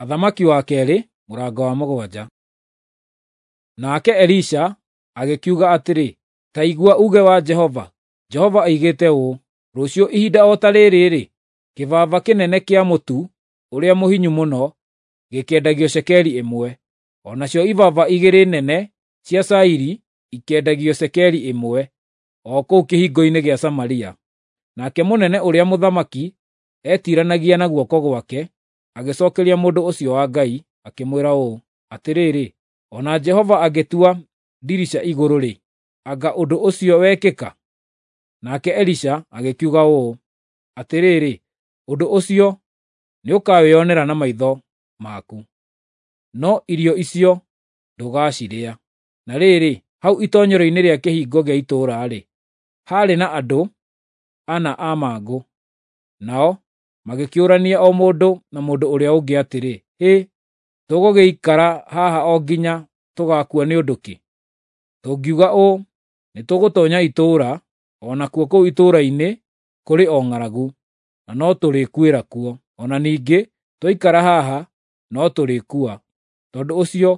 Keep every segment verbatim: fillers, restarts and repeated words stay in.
Athamaki wa keerĩ mũrango wa mũgwanja. Nake Elisha agĩkiuga atĩrĩ, “Ta igua uuge wa Jehova. Jehova oigĩte ũũ: Rũciũ ihinda o ta rĩrĩ-rĩ, kĩbaba kĩnene kĩa mũtu ũrĩa mũhinyu mũno gĩkĩendagio cekeri ĩmwe, o nacio ibaba igĩrĩ nene cia cairi ikĩendagio cekeri ĩmwe, o kũu kĩhingo-inĩ gĩa Samaria.” Nake mũnene ũrĩa mũthamaki eetiiranagia na guoko gwake agĩcookeria mũndũ ũcio wa Ngai, akĩmwĩra ũũ, “Atĩrĩrĩ, o na Jehova angĩtua ndirica igũrũ-rĩ, anga ũndũ ũcio wekĩka?” Nake Elisha agĩkiuga ũũ, “Atĩrĩrĩ, ũndũ ũcio nĩũkawĩonera na maitho maku, no irio icio ndũgacirĩa.” Na rĩrĩ, hau itoonyero-inĩ rĩa kĩhingo gĩa itũũra-rĩ, haarĩ na andũ ana a mangũ. Nao magĩkĩũrania o mũndũ na mũndũ ũrĩa ũngĩ atĩrĩ, “Hĩ, tũgũgĩikara haha o nginya tũgaakua nĩ ũndũ kĩ? Tũngiuga ũũ, ‘Nĩtũgũtoonya itũũra,’ o nakuo kũu itũũra-inĩ kũrĩ o ng'aragu, na no tũrĩkuĩra kuo. O na ningĩ twaikara haha no tũrĩkua. Tondũ ũcio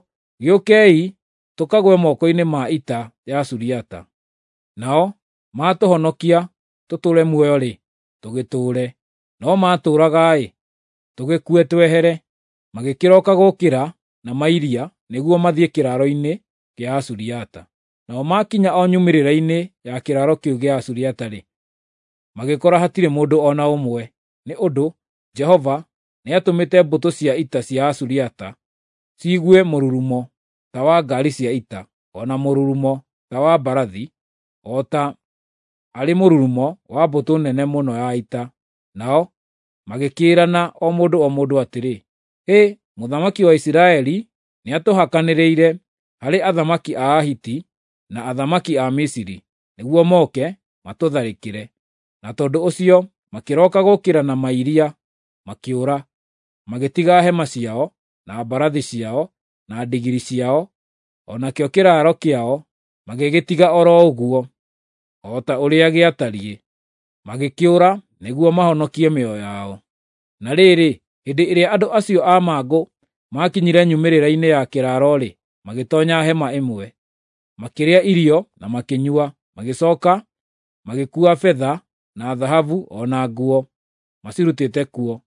gĩũkei tũkagwe moko-inĩ ma ita ya Suriata. Nao maatũhonokia tũtũũre muoyo-rĩ, tũgĩtũũre; no maatũũraga-ĩ, tũgĩkue twehere.” Magĩkĩroka gũkĩra na mairia nĩguo mathiĩ kĩraaro-inĩ kĩa Asuriata. Nao maakinya o nyumĩrĩra-inĩ ya kĩraaro kĩu gĩa Asuriata-rĩ, magĩkora hatirĩ mũndũ o na ũmwe, nĩ ũndũ Jehova nĩatũmĩte mbũtũ cia ita cia Asuriata ciigue mũrurumo ta wa ngaari cia ita, o na mũrurumo ta wa mbarathi, o ta arĩ mũrurumo wa mbũtũ nene mũno ya ita. Nao magĩkĩĩrana o mũndũ o mũndũ atĩrĩ, “Hĩ, mũthamaki wa Isiraeli nĩatũhakanĩrĩire harĩ athamaki a Ahiti na athamaki a Misiri, nĩguo moke matũtharĩkĩre.” Na tondũ ũcio makĩroka gũkĩra na mairia, makĩũra, magĩtiga hema ciao, na mbarathi ciao, na ndigiri ciao, o nakĩo kĩraaro kĩao magĩgĩtiga o ro ũguo, o ta ũrĩa gĩatariĩ. Magĩkĩũra nĩguo mahonokie mĩoyo yao. Na rĩrĩ, hĩndĩ ĩrĩa andũ acio a mangũ maakinyire nyumĩrĩra-inĩ ya kĩraaro-rĩ, magĩtoonya hema ĩmwe. Makĩrĩa irio na makĩnyua, magĩcooka magĩkuua betha na thahabu o na nguo macirutĩte kuo,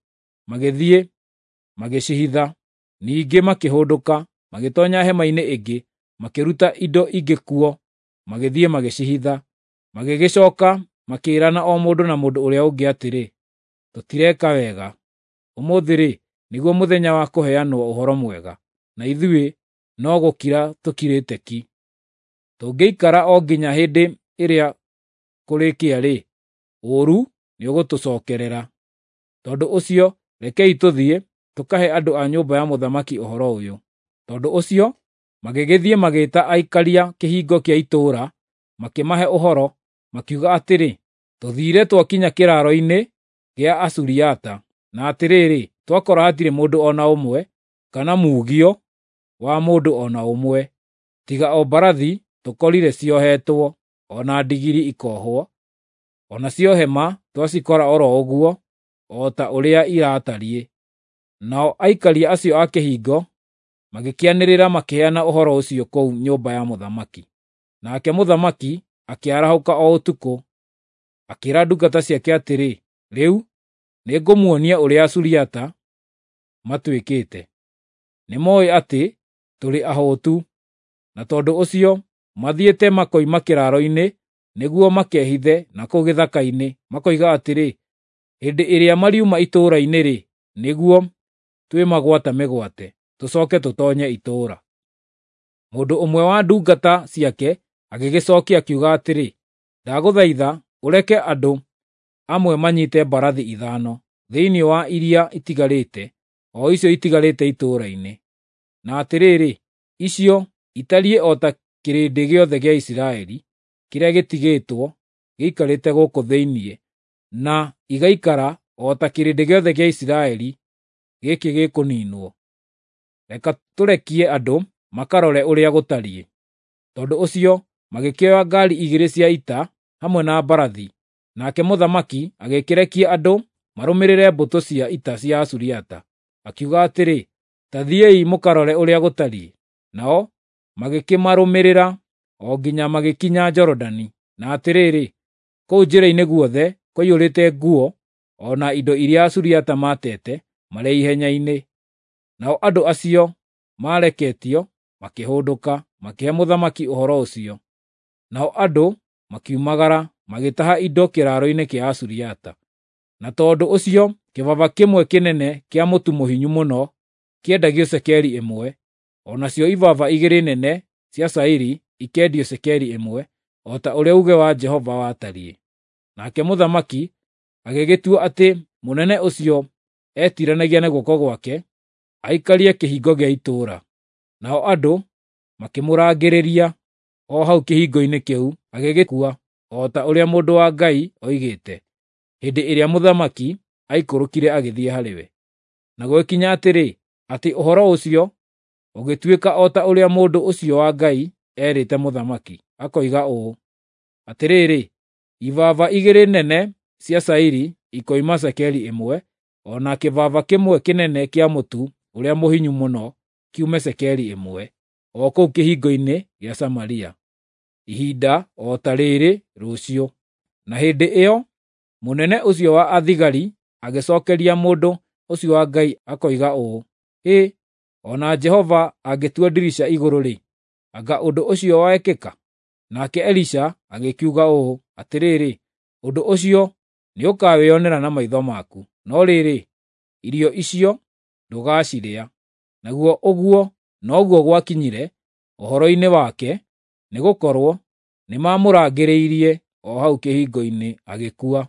magĩthiĩ magĩcihitha. Ningĩ makĩhũndũka, magĩtoonya hema-inĩ ĩngĩ, makĩruta indo ingĩ kuo, magĩthiĩ magĩcihitha. Magĩgĩcooka makĩĩrana o mũndũ na mũndũ ũrĩa ũngĩ atĩrĩ, “Tũtireka wega. Ũmũthĩ-rĩ, nĩguo mũthenya wa kũheanwo ũhoro mwega, na ithuĩ no gũkira tũkirĩte ki. Tũngĩikara o nginya hĩndĩ ĩrĩa kũrĩkĩa-rĩ, ũũru nĩũgũtũcookerera. Tondũ ũcio rekei tũthiĩ, tũkahe andũ a nyũmba ya mũthamaki ũhoro ũyũ.” Tondũ ũcio magĩgĩthiĩ magĩĩta aikaria kĩhingo kĩa itũũra, makĩmahe ũhoro, makiuga atĩrĩ, “Tũthiire twakinya kĩraaro-inĩ gĩa Asuriata, na atĩrĩrĩ, twakora hatirĩ mũndũ o na ũmwe, kana muugio wa mũndũ o na ũmwe, tiga o mbarathi tũkorire ciohetwo, o na ndigiri ikoohwo, o nacio hema twacikora o ro ũguo, o ta ũrĩa iratariĩ.” Nao aikaria acio a kĩhingo magĩkĩanĩrĩra makĩheana ũhoro ũcio kũu nyũmba ya mũthamaki. Nake mũthamaki akĩarahũka o ũtukũ, akĩĩra ndungata ciake atĩrĩ, “Rĩu nĩngũmuonia ũrĩa Asuriata matuĩkĩte. Nĩmooĩ atĩ tũrĩ ahũtu, na tondũ ũcio mathiĩte makoima kĩraaro-inĩ nĩguo makehithe na kũu gĩthaka-inĩ, makoiga atĩrĩ, ‘Hĩndĩ ĩrĩa mariuma itũũra-inĩ-rĩ, nĩguo twĩmagwata mĩgwate, tũcooke tũtoonye itũũra.’ ” Mũndũ ũmwe wa ndungata ciake agĩgĩcookia akiuga atĩrĩ, “Ndagũthaitha ũreke andũ amwe manyiite mbarathi ithano thĩinĩ wa iria itigarĩte, o icio itigarĩte itũũra-inĩ. Na atĩrĩrĩ, icio itariĩ o ta kĩrĩndĩ gĩothe gĩa Isiraeli kĩrĩa gĩtigĩtwo gĩikarĩte gũkũ thĩinĩ, na igaikara o ta kĩrĩndĩ gĩothe gĩa Isiraeli gĩkĩ gĩkũniinwo. Reka tũrekie andũ makarore ũrĩa gũtariĩ.” Tondũ ũcio magĩkĩoya ngaari igĩrĩ cia ita hamwe na mbarathi, nake mũthamaki agĩkĩrekia andũ marũmĩrĩre mbũtũ cia ita cia Asuriata. Akiuga atĩrĩ, Ta thiĩi mũkarore ũrĩa gũtariĩ." Nao magĩkĩmarũmĩrĩra o nginya magĩkinya Jorodani, na atĩrĩrĩ, kũu njĩra-inĩ guothe kwaiyũrĩte nguo o na indo iria Asuriata maatete marĩ ihenya-inĩ. Nao andũ acio maareketio makĩhũndũka, makĩhe mũthamaki ũhoro ũcio. Nao andũ makiumagara magĩtaha indo kĩraaro-inĩ kĩa Asuriata. Na tondũ ũcio kĩbaba kĩmwe kĩnene kĩa mũtu mũhinyu mũno kĩendagio cekeri ĩmwe, o nacio ibaba igĩrĩ nene cia cairi ikendio cekeri ĩmwe, o ta ũrĩa uuge wa Jehova watariĩ. Nake mũthamaki agĩgĩtua atĩ mũnene ũcio etiiranagia na guoko gwake aikarie kĩhingo gĩa itũũra. Nao andũ makĩmũrangĩrĩria o hau kĩhingo-inĩ kĩu, agĩgĩkua, o ta ũrĩa mũndũ wa Ngai oigĩte, hĩndĩ ĩrĩa mũthamaki aikũrũkire agĩthiĩ harĩ we. Na gũgĩkinya atĩrĩ, atĩ ũhoro ũcio ũgĩtuĩka o ta ũrĩa mũndũ ũcio wa Ngai eerĩte mũthamaki, akoiga ũũ, "Atĩrĩrĩ, ibaba igĩrĩ nene cia cairi ikoima cekeri ĩmwe, o na kĩbaba kĩmwe kĩnene kĩa mũtu ũrĩa mũhinyu mũno kiume cekeri ĩmwe, o kũu kĩhingo-inĩ gĩa Samaria, ihinda o ta rĩrĩ rũciũ." Na hĩndĩ ĩyo mũnene ũcio wa athigari agĩcookeria mũndũ ũcio wa Ngai akoiga ũũ, "Hĩ, o na Jehova angĩtua ndirica igũrũ-rĩ, anga ũndũ ũcio wekĩka?" Nake Elisha agĩkiuga ũũ, "Atĩrĩrĩ, ũndũ ũcio nĩũkawĩonera na maitho maku, no rĩrĩ, irio icio ndũgacirĩa." Naguo ũguo noguo gwakinyire ũhoro-inĩ wake, nĩgũkorwo nĩmamũrangĩrĩirie o hau kĩhingo-inĩ agĩkua.